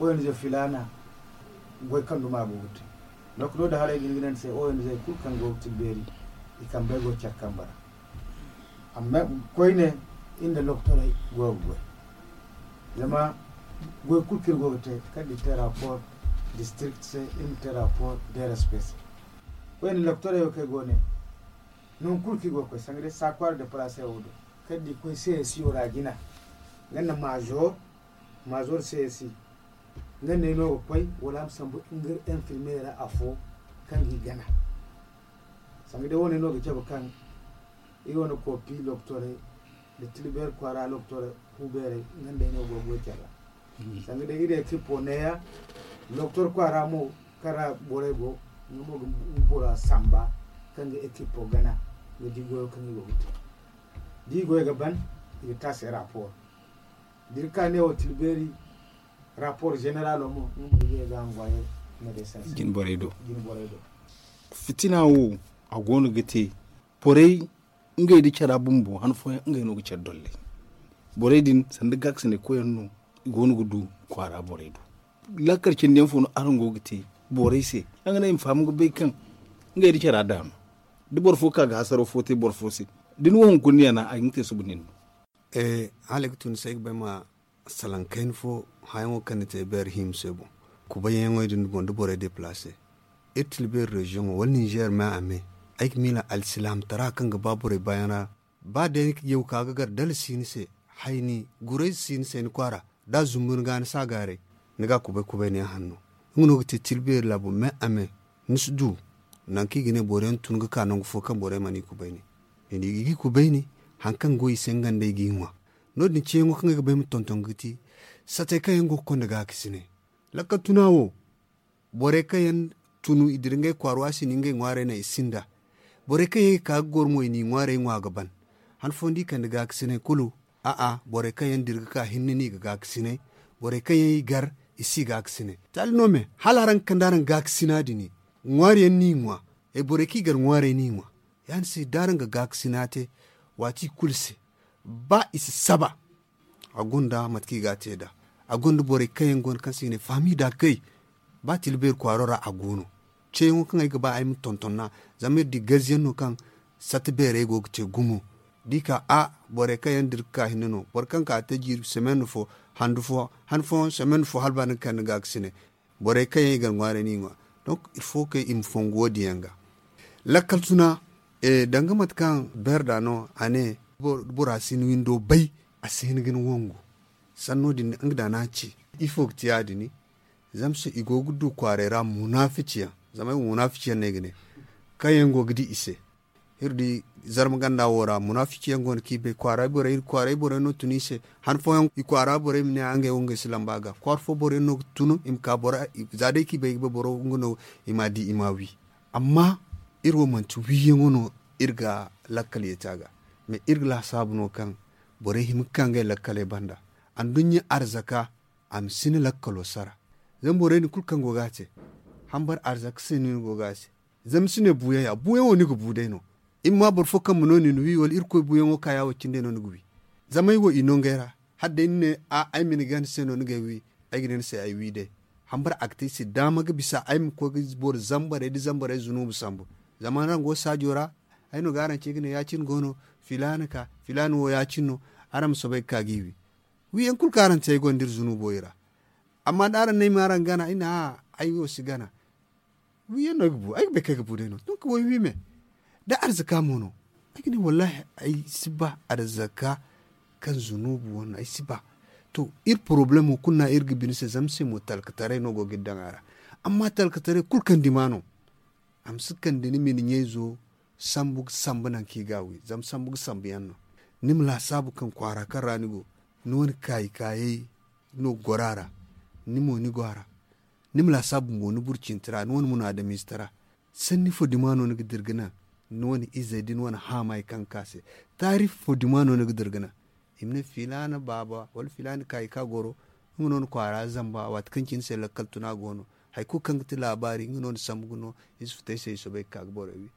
ong filaana goy kaŋ duma go ga te. Doktor da haray ga ni ga ne ni se ong kulu kaŋ go ga tilbeeri i kambey go ga care kambe ra. Amma koyne iri nda doktorey go ga goy. Zama goy kulu kaŋ iri go ga te kala da iri te rapport district se, iri ma te rapport de respect se. Koyne doktorey wo kaŋ ay go ne nangu kulu kaŋ i go ga koy sanga day sakwara deplase wo do, kala da i koy c s i wo ra jina, nga nda major, major c s i, nga nda ay no ga koy wala a ma sambu nga infirmier ra afo kaŋ ga i gana. Sanga day wo- ne no ga cabe kaŋ iri wane kopi loktorey nda tilbeeri kwaara loktorey fu beerey nga nda ay no go ga goy care ra. Sanga day iri ekipo neeya, loktor kwaara mo kaŋ ra borey go, nga mo ga bora samba kaŋ ga ekipo gana ga di goyo kaŋ i go ga te. Da i goyo ga ban, i ga te a se rapport. Da iri ka neewo tilbeeri rapport generalo mo nga mo i ga ye ga envoyer médecin se jine borey do. Fitina wo a go no ga te borey ngey nda cara bumbo han fooyaŋ ngey no ga care dolley. Borey din sanda gaakasinay koyyaŋ no i go no ga du kwaara borey do. Lakkal cindi yaŋ fo no araŋ go ga te borey se? Yaŋ ga ne i ma faham ga bay kaŋ ngey nda cara daama da boro fo ka ga hasaro fo te boro fo se, da ni wo hunkuna ni yana a ga ni te suba nin no. Hala ay ga tun ni se ay ga bay ma salaŋ kayna fo hayaŋo kaŋ ni te beeri hima se boŋ. Kubayyaŋo din boŋ da borey deplase iri tilbeeri reziyoŋo wala ninzeer me a me. Ay ga miila alsilaamtara kaŋ ga ba borey baayaŋ ra. Ba day ni ga yaw ka ga gar dala si ni se, hayni guray si ni se ni kwaara da a zumbu ni ga ni si a gaaray. Ni ga a kubay kubay ne hanno nga no ga te tilbeeri laabo me a me. Ni si du nangu kaŋ i ga ne boro yaŋ tun ga ka nangu fo kaŋ borey mana i kubay ne. I ga i kubay ne hari kaŋ go i se nga nda ay ga i ŋwa. No- din ceeyaŋo kaŋ ay ga ba ay ma tonton ga ti satey kaŋ yaŋ go ga konda gaakasinay. Lakkal tuna wo borey kaŋ yaŋ tunu i dira ngey kwaara waasi ni ngey ŋwaarey naŋ i sinda. Borey kaŋ yaŋ i ka ga goro mo i n'i ŋwaarey ŋwa ga ban. Han fooyaŋ da i kande gaakasinay kulu. A'a, borey kaŋ yaŋ dira ga ka hinne no i ga gaakasinay. Borey kaŋ yaŋ i gar i si gaakasinay taali no me hala araŋ ga kande araŋ gaakasina din ŋwaari yaŋ n'i ŋwa. Borey kaŋ i gar ŋwaarey n'i ŋwa. Ya- din se da araŋ ga gaakasina te waati kulu se ba i si saba. A gonda mate kaŋ i ga a te nd'a. A gonda borey kaŋ yaŋ go no kaŋ se i ga ne faami nda kay. Ba tilbeeri kwaaro ra a go no. Ceeyaŋo kaŋ ay ga ba ay ma tonton nd'a zama iri di gaziyaŋ no kaŋ satta beerey go ga te gumo. Da i ka a borey kaŋ yaŋ dira ga ka hinne no boro kaŋ ka te jiiri semaine fo handu fo han fooyaŋ semaine fo hala ba ni ga kande gaakasinay. Borey kaŋ yaŋ i gar ŋwaarey n'i ŋwa. Donc il faut que i ma fongu wo- din yaŋ ga. Lakkal tuna danga mate kaŋ beerda no a ne bora si ni windo bay a si hin ga ni wangu. Sanno din nga da no a ci ifo ga te ya- din? Zama se i go ga du kwaaray ra munafici yaŋ zama ay wo munafici yaŋ no ay ga ne kaŋ yaŋ go ga di i se. Iri di zarma ganda wo ra munafici yaŋ go no kaŋ i bay kwaaray borey no tun i se. Han fooyaŋ i kwaara borey ma ne a ngey wo ngey si lamba ga kwaara fo boro yaŋ no ga tun i ma ka boro za day kaŋ i bay ga bay boro nga no i ma a di i ma a wi. Amma iri wo manti wiiyaŋo no iri ga lakkal yeeti a ga. Mais iri ga laasaabu no kaŋ borey hima ga ka ngey lakkaley banda. Anduɲɲa arzaka a ma si ni lakkalo sara. Zama borey din kulu kaŋ go ga a te hambar arzaka se no ni go ga a te. Zama ni si ne buuyaŋ ya buuyaŋo ni ga bu day no. Iri ma boro fo kaŋ ma no nin wi wala irkoy buuyaŋo ka ya wo cindey no ni ga wi. Zama ay wo i no ngey ra hala day ni ne a ay ma ni gana se no ni g'ay wi. Ay ga ne ni se ay wi day. Hambara a ga te ay se daama ga bisa ay ma koy ga boro zambarey da zambarey zunuubu sambu. Zama nango saajo ra Ay no ga araŋ ce ga ne ya-cine go no, filaana ka filaana wo ya-cine no. Araŋ ma soobay ga ka ga i wi. Wiyaŋ kulu kaŋ araŋ te ay gonda iri zunubo i ra. Amma da araŋ ne ay ma araŋ gana ay ne a'a, ay wo si gana. Wiyaŋ no ay ga bu, ay ga bay kaŋ ay ga bu day no. Donc way wi me da arzaka mo no. Ay ga ne wallahi ay si ba arzaka kaŋ zunubu wane ay si ba. To, iri problemo kulu no iri ga bine se zama se mo talkataray no go ga iri daŋ a ra. Amma talkataray kulu kaŋ dima no. A ma si kande ni ma ni ɲayzo sambu ga sambu nangu kaŋ i ga a wi zama sambu ga sambu yaŋ no. Ni ma laasaabu kaŋ kwaara kaŋ ra ni go, ni wane kaayi kaayey no ga goro a ra. Ni mo ni go a ra. Ni ma laasaabu mo ni burcinti ra, ni wane munaadamiize tara. Sanni fo dima no ni ga dira ga naŋ ni wane izey da ni wane haamay kaŋ ga ka se? Taarifi fo dima no ni ga dira ga naŋ i ma ne filaana baaba wala filaana kaayi kaŋ a goro? Nga no ni kwaara zamba waati kaŋ cine se lakkal tuna go no. Hari kulu kaŋ ga ti laabaari nga no ni sambu ga no. Ize futay se i soobay ga ka ga borey wi.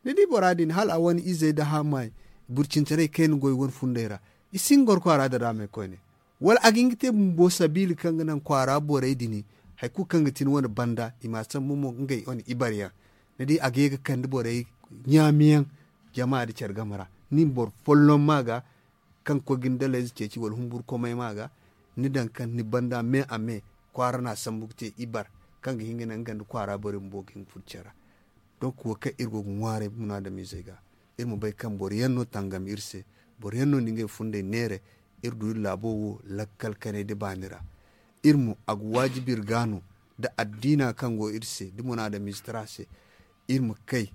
Ni di bora din hala a wane izey nda haamay burcintaray kayna goy wane fundey ra. I si hin ga goro kwaara dadaamey koyne. Wala a ga hin ga te bumbo sabiila kaŋ ga naŋ kwaara borey din hari kulu kaŋ ga ti ni wane banda i ma a sambu mo ngey wane ibaryaŋ. Ni di a ga ye ga kande borey ɲaamiyaŋ jama nda care game ra. Ni ma boro folloŋ ma ga kaŋ ga koy ga ni dalayze ceeci wala humburu komay ma ga. Ni daŋ kaŋ ni banda me a me kwaara no a sambu ga te ibar kaŋ ga hin ga naŋ nga nda kwaara borey bumbo ga hin ga furo care ra. Donc wo kaŋ iri go ga ŋwaaray munaadamiizey ga iri ma bay kaŋ boro yaŋ no tangam iri se. Boro yaŋ no na ngey fundey neera. Iri du iri laabo wo lakkal kanay nda baani ra. Iri mo a ga waajibi iri ga no da addiina kaŋ go iri se da munaadamiize tara se. Iri ma kay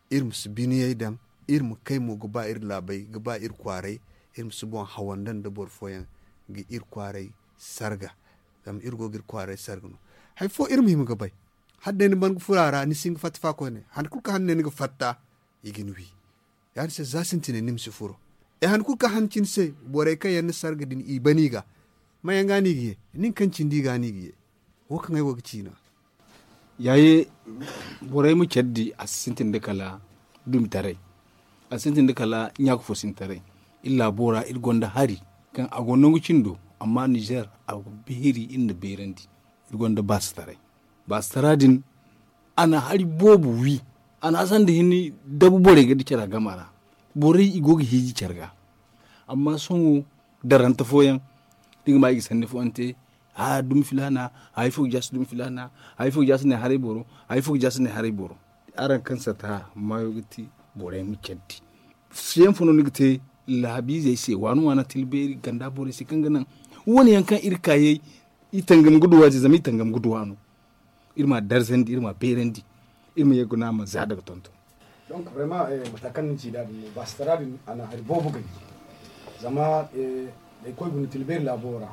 iri ma si biniyey daŋ. Iri ma kay mo ga ba iri laabey ga ba iri kwaaray. Iri ma si boŋ hawanda nda boro fooyaŋ ga iri kwaaray sarga. Zama iri go ga iri kwaaray sarga no. Hari fo iri ma hima ga bay hala day ni ban ga furo a ra ni si hin ga fatta fa koyne. Han kulu kaŋ han ne ni ga fatta i ga ni wi. Ya- din se za sintinay ni ma si furo. E han kulu kaŋ han cine se borey kaŋ yaŋ ni sarga din i ban i ga. Mayaŋ ga no i ga ye? Nin kaŋ cindi i ga no i ga ye. Wo kaŋ ay wo ga ci no. Yaaye borey ma care di a si sintin da kala dumitaray. A si sintin da kala ɲaaka fo sintaray. Iri laabo ra iri gonda hari kaŋ a go nangu cindo amma nizer a ga beeri iri na beerandi. Iri gonda baasataray. Baasatara din a na hari boobo wi. A na a sanda hinne dabu borey ga di care a gama ra. Borey i go ga hiiji care ga. Amma sohõ darante fooyaŋ da i ga ma i ga sanni fooyaŋ te. A dumi filaana. Hari fo ga jaasi dumi filaana. Hari fo ga jaasi ne haray boro. Hari fo ga jaasi ne haray boro. Araŋ kaŋ sata maayo ga ti borey ma care di. Siyaŋ fo no ni ga te laabiizey se waani waana tila beeri ganda borey se kaŋ ga naŋ wane yaŋ kaŋ iri kaayey i tangam ga duwa se zama i tangam ga duwa no. Iri ma darzandi iri ma beerandi. Iri ma ye guna ma za daga tonton. Donc vraiment mata kaŋ ni ci da din no baasitara din a na hari boobo gaji. Zama day koy guna tila beeri laabo ra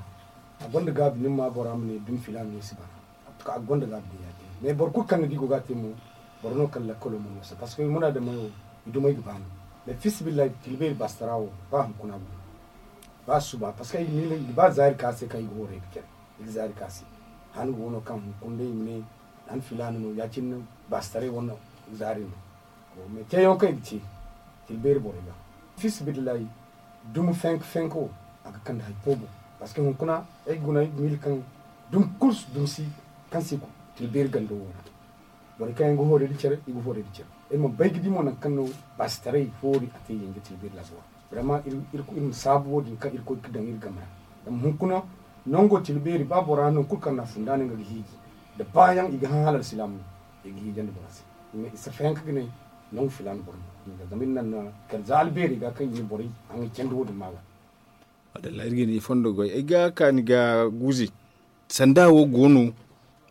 a gonda gaabi ni ma bora ma ne dumi filaana no si bara. A gonda gaabi din ya te mais boro kulu kaŋ ni di go ga te mo boro no kaŋ lakkalo mo no se parce que muna da mayo i dumay ga ba no. Mais fisibillahi tila beeri baasitara wo ba hunkuna go ba suba parce que ay ga miila i ga ba zaari ka se kaŋ i ga hoorey ga care. I ga zaari ka se han go no kaŋ hunkuna day i ma ne han filaana no ya- cine baasitaray wane zaari no. Mais teeyaŋo kaŋ i ga te tila beeri borey ga fisibillahi dumi fenk fenk wo a ga kande hari fo boŋ. Parce que hunkuna ay ga guna ay ga miila kaŋ dumi kulu dumi si kaŋ se tila beeri gando wo ra. Borey kaŋ yaŋ ga hoorey da care i ga hoorey da care. Ay mana bay ga di mo nangu kaŋ no baasitaray hoori a te yanje tila beeri laabo ra. Vraiment iri ma saabu wo- din kaŋ irkoy ga daŋ iri game ra. Zama hunkuna nango tila beeri ba bora nangu kulu kaŋ no a funda no nga ga hiiji da baayaŋ i ga hã hala alsilaama no i ga hiijandi bora se. Mais i si fayanka ga ne nangu filaana boro no zama iri naŋ na kala za albeeri ga kaŋ i na borey haŋay candi wo- din ma ga. Madalla iri ga ni fondo goy ay ga kaani ga guuze. Sanda wo go no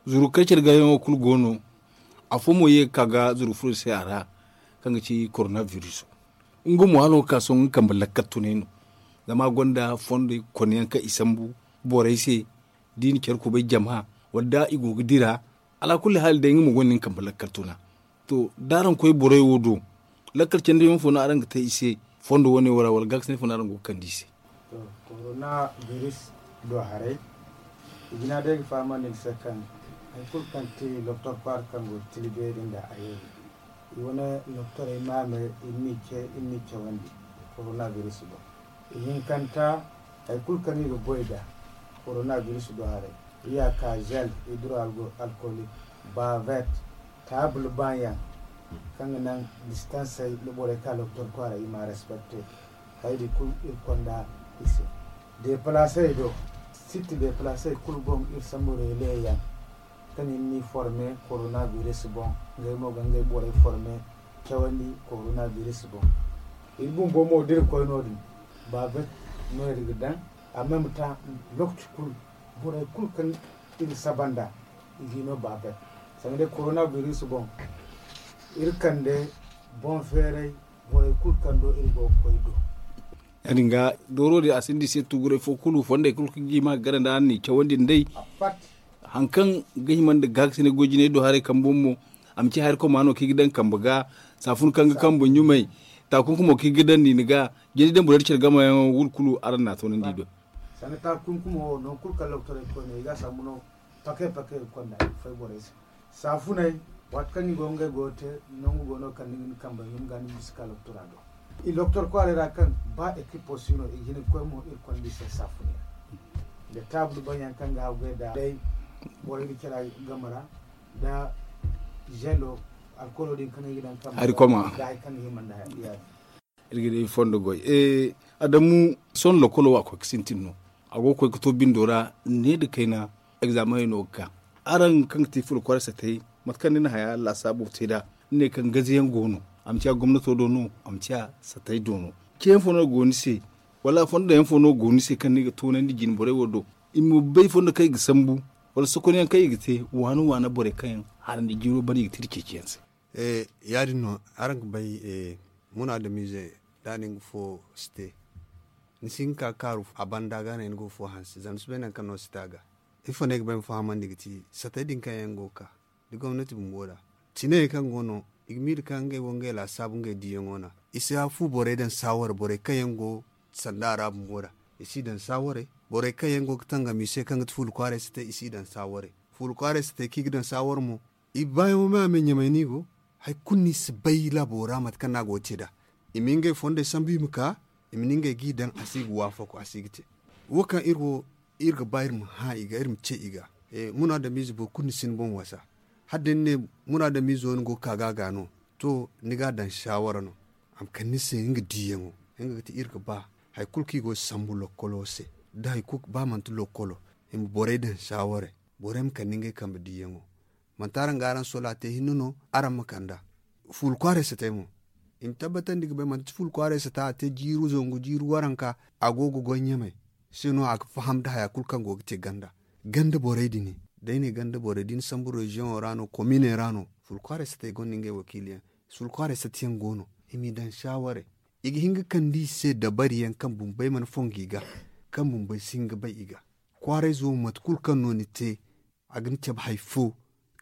zuru kaŋ care ga yaŋo kulu go no. Afo mo ye ga ka ga zuru furo se a ra kaŋ ga ci korona viruso. Nga mo hala wo ga ka sohõ nga kambe lakkal tunay no. Zama a gonda fondey konyaŋ kaŋ i sambu borey se da i na care kubay jama wala da i go ga dira. Alaakulli haali day nga mo gonda nga kambe lakkal tuna. To da araŋ koy borey wo do lakkal candiyaŋ fo no araŋ ga te i se fondo wane wo ra wala gaakasinay fo no araŋ go ga kande i se? To, korona biris do haray i jina day ga fahamandi ni se kaŋ hari kulu kaŋ te doktor kwaara kaŋ go ga tila beeri nda a yeeri. I wane doktorey maamey iri n'i ce iri n'i cawandi korona biris boŋ. Ihinkanta hari kulu kaŋ i ga goy nd'a korona biris do haray, i ya ka zel, hidro alkolik, bavet, taabul baayaŋ. Kaŋ ga naŋ distansey nda borey ka lokotor kwaara i ma a respecte. Hayey din kulu iri konda i se. Deepalaasey do, site deepalaasey kulu boŋ iri sambu reele yaŋ kaŋ i na ni forme koronabiris boŋ. Ngey mo ga ngey borey forme cawandi koronabiris boŋ. Iri bumbo mo da iri koy no- din baabet no iri ga daŋ. A meme ta lokaci kulu borey kulu kaŋ iri saba nd'a i ga i no baabet. Sanda day koronabiris boŋ iri kande boŋ feeray borey kulu kaŋ do iri go ga koy do. Ya- din ga dooro din a sinda i se tuguray fo kulu fondey kulu kaŋ ga i ma ga gana nda araŋ n'i cawandi nd'ey. Hari kaŋ ga hima nda gaakasinay goy jinay do haray kambe boŋ mo a ma ci hari koma no kaŋ i ga daŋ kambe ga. Saafun kaŋ ga kambe ɲumay taakunkumo kaŋ i ga daŋ ni ni ga jina daŋ borey da care gamayaŋo wulu kulu araŋ n'a toonandi i do. Sanda taakunkumo wo nangu kulu kaŋ lokotorey ga koy no i ga a sambu no. Pake pake ga konda i ga fay borey se. Saafuney waati kaŋ i go ngey go ga te nangu go no kaŋ ni ga ni kambey ɲum ga ni bisa ka lokotora do. I lokotor kwaaray ra kaŋ ba ekipo si no i ga hin ga koy mo iri konda i se saafuney nda taabul banyaŋ kaŋ ga haggoy da day borey ga care game ra nda zelo alkoolo din kaŋ i ga daŋ kambe hari koma da hari kaŋ ga hima nda hari yaadin. Iri ga di fondo goy. Adamu sohõ lokolo wo a koy ga sintin no. A go ga koy ga to bindo ra ne nda kayna. Egzaamaney no ga ka araŋ kaŋ ga ti fula kwaaray satay mate kaŋ ni na haya laasaabu te nd'a ni ne kaŋ gaze yaŋ go no. A ma ciya gomnato do no a ma ciya satay do no. Ceeyaŋ fo no go ni se wala fondo yaŋ fo no go ni se kaŋ ni ga toonandi jine borey wo do i ma bay fondo kaŋ i ga sambu wala sokonyaŋ kaŋ i ga te waana waana borey kaŋ yaŋ harandi jiiro bana i ga te nda ceeciyaŋ se. Ya- din no araŋ ga bay munaadamiize da a na nga fo si te ni si hin ga ka ga kaaru a banda ga no ay na go ga fo hanse zama ni si bay nangu kaŋ no si te a ga. Ifo no ay ga ba ay ma fahamandi ga ti satey din kaŋ yaŋ go ga ka da gomnati bumbo ra ciney kaŋ go no i ga miila kaŋ ngey wo ngey laasaabu ngey diiyaŋo no. I si a fu borey daŋ saaware borey kaŋ yaŋ go sanda a ra bumbo ra i si daŋ saaware. Borey kaŋ yaŋ go ga tangam i se kaŋ ga ti fuula kwaaray si te i si daŋ saaware. Fuula kwaaray si te kaŋ i ga daŋ saaware mo i baayaŋo me a me ɲamay no i go. Hari kulu no i si bay laabo ra mate kaŋ no a go ga te nd'a. I ma ngey fondey sambu i ma ka i ma ne ngey ga i daŋ a si ga waafaku a si ga te. Wo kaŋ iri wo iri ga ba iri ma hã i ga iri ma ce i ga. Munaadamiize boro kulu ni si ni boŋ wasa. Hala day ni ne munaadamiizo ni go ga ka ga a ga no to ni ga a daŋ saawara no. A ma kande ni se nga diiyaŋo nga ga ti iri ga ba hari kulu kaŋ i go ga sambu lokkolo se da hari kulu ba manti lokkolo i ma borey daŋ saawara. Borey ma kande ngey kambe diiyaŋo. Manti araŋ ga araŋ sola te hinne no araŋ ma kand'a. Fuula kwaaray satay mo i ma tabbatandi ga bay manti fuula kwaaray sata a te jiiri zangu jiiri waranka. A go ga goy ɲamay se no a ga faham nda haya kulu kaŋ go ga te ganda. Ganda borey din day ne ganda borey da ni sambu reziyoŋo ra no kominey ra no fuula kwaaray satay gonda ngey wakiiliyaŋ. Fuula kwaaray satayaŋ go no i m'i daŋ saawaray. I ga hin ga kande i se dabariyaŋ kaŋ bumbey mana fongu i ga kaŋ bumbey si hin ga bay i ga. Kwaarayzo mate kulu kaŋ no ni te a ga ni cabe hari fo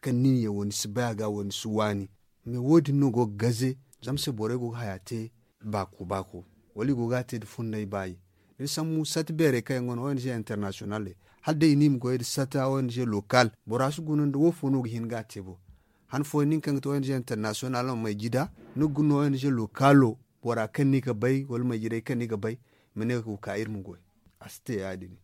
kaŋ nin yaŋ wo ni si bay a ga wo ni si waani. Mais wo- din no go ga gaze zama se borey go ga haya te baako baako wala i go ga a te nda fundey baayi. Da ni sambu sata beerey kaŋ yaŋ go no ong international hala day i ne i ma goy nda sata ong lokal bora si guna nda wo fo no ga hin ga a te bo. Han fooyaŋ nin kaŋ ga te ong international ma may jida ni ga guna ong lokalo bora kaŋ ni ga bay wala may jiday kaŋ ni ga bay ma ne ga ka iri ma goy. A si te ya- din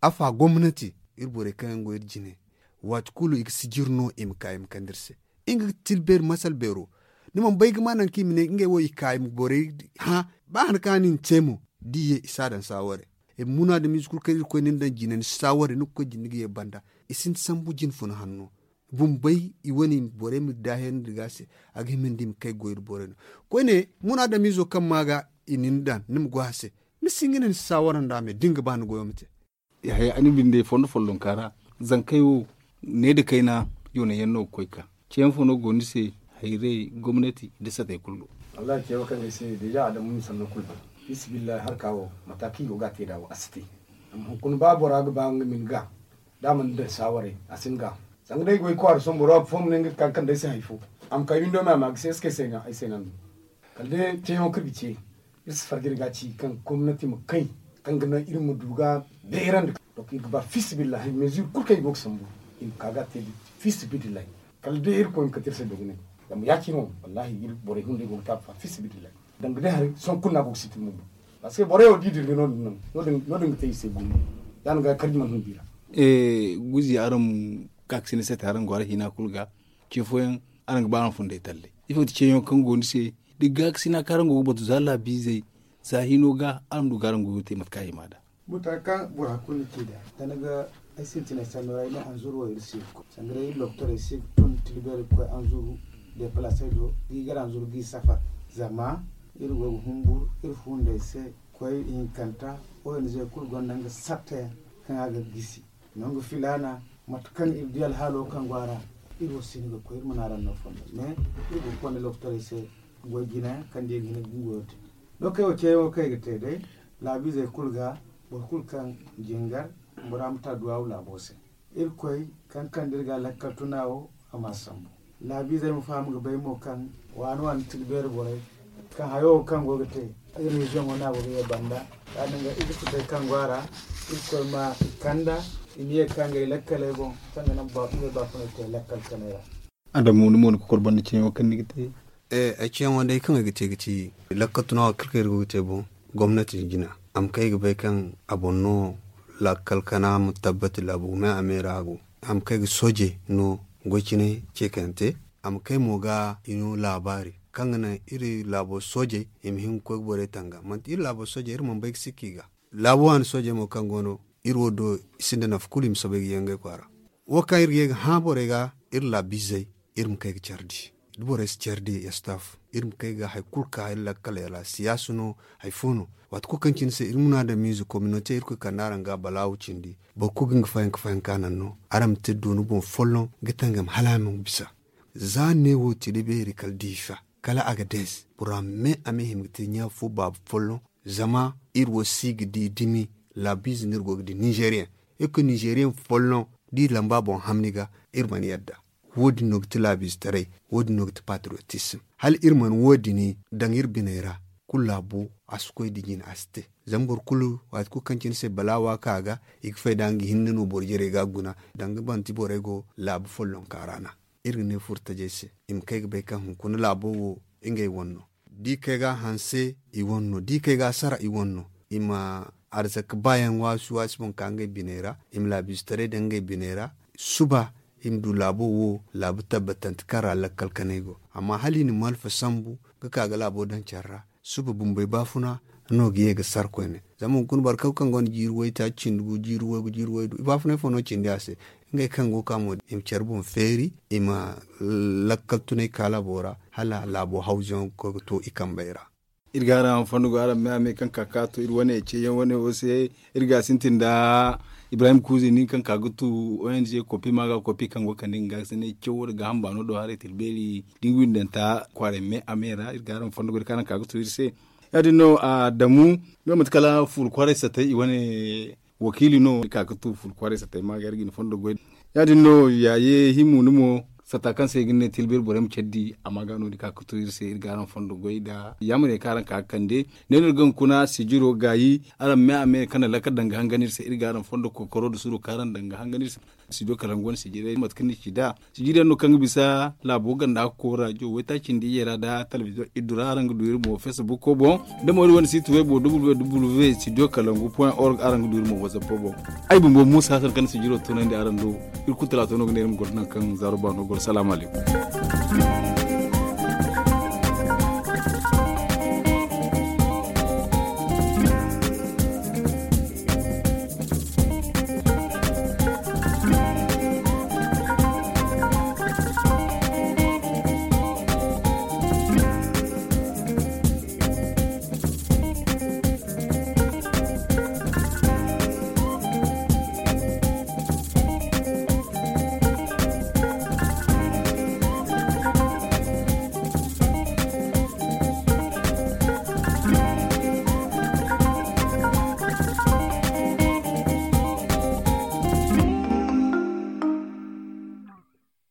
afa gomnati iri borey kaŋ yaŋ go iri jine waati kulu i ga sijiri no i ma ka i ma kande iri se. Nga ga tilbeeri masal beero ni mana bay ga ma nangu kaŋ i ma ne ngey wo i ka i ma borey hã ba han kaŋ a na i ma te mo da i ye i si a daŋ saaware. Munaadamiize kulu kaŋ iri koy ni na daŋ jine ni si saaware ni ga koy jine ni ga ye banda. I sinda sambu jine funa hanno bumbey i wane borey ma daahirandi ga se a ga hima nda i ma kay goy nda borey no. Koyne munaadamiizo kaŋ ma ga i na ni daŋ ni ma goy a se ni si hin ga ne ni si saawara nda a me da ni ga ba ni goyo ma te. Yahaya ni binde fondo follonka ra zankey wo ne nda kayna yoone yaŋ no ga koy ga ka ceeyaŋ fo no go ni se? Hayray gomnati nda satey kulu do. Wallahi ce wo kaŋ ay se deja adamu ni sanno kulu ban fisibillahi harka wo mata kaŋ i go ga a te nd'a wo a si te. Amma hunkuna ba bora ga ba nga ma ni ga da a mana daŋ saawaray a si ni ga. Zanga day goy kwaara sohõ boro fo ma ne nga ga ka ga kande ay se hari fo a ma kay windo me a ma ga se ay se no ay se no a ma du. Kala day ceeyaŋo kaŋ iri ga ce iri si farga iri ga a ci kaŋ gomnati ma kay kaŋ ga naŋ iri ma du ga beerandi. Donc iri ga ba fisibillahi mesure kulu kaŋ i go ga sambu i ma ka ga a te da fisibillahi. Kala day irkoy ma kate iri se dogonay. Zama ya- cine wo wallahi iri borey hunday go ga taabu fa fisibillahi. Danga day hari sohõ kulu no a go ga sintin bumbo. Parce que borey wo da i dirga no- din no- din ga te i se gumo. Ya- din ga karji mana hun bi ra. Guzi araŋ ma ka ga sinda sate araŋ go araŋ hina kulu ga ce fooyaŋ araŋ ga ba araŋ funday talley. Ifo ti ceeyaŋo kaŋ go ni se? Da gaakasina kaŋ araŋ go ga batu za laabiizey, za hino ga araŋ du ga araŋ goyo te mate kaŋ a hima nd'a. Buta kaŋ bora kulu ni ci nd'a, da ni ga ay sintinay sanno ra ay ne anzuru wo iri si ga koy sanga day iri lokotorey si ga tun tilbeeri ga koy anzuru depalasey do ga i gar anzuru ga i safar. Zama iri go ga humbur iri fundey se koy ihinkanta. Ong kulu gonda nga sartayaŋ kaŋ a ga gisi nangu filaana. Mate kaŋ iri di alhaalo kaŋ go a ra, iri wo si hin ga koy iri mana araŋ no fondo mais iri go ga konda lokotorey se goy jina kaŋ da i ga hin ga gungoyo te. Lookey wo ceeyaŋo kaŋ i ga te day laabiizey kulu ga boro kulu kaŋ jingar bora ma ta duwaawu laabo se. Irkoy kaŋ kande iri ga lakkal tuna wo a ma sambu. Laabiizey ma faham ga bay mo kaŋ waani waani tila beeri borey kaŋ hayo wo kaŋ go ga te iri reziyoŋo no a go ga ye banda. Ya- din ga iri futey kaŋ go a ra irkoy ma i kanda i ma ye ga ka ngey lakkaley boŋ kaŋ ga naŋ ngey baafuney te lakkal kanay ra. Adamu ni mo ni ga kor banda ceeyaŋo kaŋ ni ga te? Ay ceeyaŋo day kaŋ ay ga te ga ci lakkal tuna wo kala kaŋ iri go ga te boŋ gomnati jina a ma kay ga bay kaŋ a boŋ no lakkal kana ma tabbati laabu gume a me ra a go. A ma kay ga soojey no goy cine ce kaŋ yaŋ te a ma kay mo ga i no laabaari kaŋ ga naŋ iri laabo soojey i ma hin ga koy ga borey tanga manti iri laabo soojey iri mana bay ga sikka i ga. Laabu waani soojey mo kaŋ go no iri wo do i sinda nafa kulu i ma soobay ga ye ngey kwaara. Wo kaŋ iri ga ye ga hã borey ga iri laabiizey iri ma kay ga care di. Da borey si care di estaafu iri ma kay ga hari kulu ka iri lakkaley ra siyaasa no hari fo no. Waati kulu kaŋ cine se iri munaadamiize kominote irkoy kande araŋ ga balaawu cindi boro kulu ga nga fayanka fayanka naŋ no. Araŋ ma te dooni boŋ folloŋ ga tangam hala a ma bisa. Za neewo tila beeri kala diifa kala agadez bora me a ma hima ga te ɲa fo baaba folloŋ. Zama iri wo si ga di dumi laabiize no iri go ga di ninzeeriyaŋ. Iri ga koy ninzeeriyaŋ folloŋ da iri lamba boŋ hamni ga iri mana yadda. Wo- din no ga ti laabiizetaray. Wo- din no ga ti patriyotisim hala iri mana wo- din daŋ iri biney ra. Kulu laabo a si koy da jine a si te. Zama boro kulu waati kulu kaŋ cine se balaawa ka a ga i ga fay da nga hinne no boro jarey ga a guna. Danga manti borey go laabu follonka ra no. Iri ga ne furtajey se i ma kay ga bay kaŋ hunkuna laabo wo ngey wane no. Da i kay ga a hanse i wane no da i kay ga a sara i wane no. I ma arzaka baayaŋ waasi waasi boŋ ka ngey biney ra i ma laabiizetaray daŋ ngey biney ra. Suba i ma du laabo wo laabu tabbatante kaŋ ra lakkal kanay go. Amma hala i na malfa sambu ga ka ga laabo daŋ care ra suba bumbey baafuna no ga ye ga sara koyne. Zama hunkuna boro kaŋ kaŋ gonda jiiri waytaaci cindi gu jiiri waygu jiiri waydu i baafunay fo no cindi a se. Ngey kaŋ go ga ka mo i ma care boŋ feeri i ma lakkal tunay ka laabo ra hala laabo hawzuyaŋo ga koy ga to i kambey ra. Iri ga araŋ fondo go araŋ me a me kaŋ ka ka to iri wane ceeyaŋ wane wo se. Iri ga a sintin nda ibrahim kuuzi nin kaŋ ka ga tu ong kopi ma ga kopi kaŋ go ga kande nga ga sinay cawo nda gaaham baano do haray tila beeri da nga windanta kwaaray me a me ra iri ga araŋ fondo go iri kaŋ araŋ ka ga tu iri se. Ya- din no a damu nga mate kala fuuru kwaaray satay i wane wakiili no iri ka ga tu fuuru kwaaray satay ma ga iri ga ni fondo goy. Ya- din no yaaye himu ni mo sata kaŋ se i ga ne tila beeri borey ma care di a ma ga no iri ka ga tu iri se iri ga araŋ fondo goy nda yaamar yaŋ kaŋ araŋ ka ga kande. Ne no iri ga hunkuna sijiro gaayi araŋ me a me kaŋ na lakkal daŋ ga hangan iri se iri ga araŋ fondo kokoro nda suro kaŋ araŋ daŋ ga hangan iri se. Sidiyo kalaŋ go no sijirey mate kaŋ ni ci nd'a sijiriyaŋ no kaŋ ga bisa laabo ganda ga koy rajo waytaaci nda iyye ra nda talbizo iddu ra araŋ ga du iri mo facebook boŋ. Da mo iri wane siiti waybo w w w sidiyo kalaŋ gu point org araŋ ga du iri mo whatsapp boŋ. Ay bumbo muusa hasan kaŋ na sijiro tunandi araŋ do. Iri kulu talaato no ga ne iri ma goro naŋ kaŋ zaaro baano goro salaamu alaykum.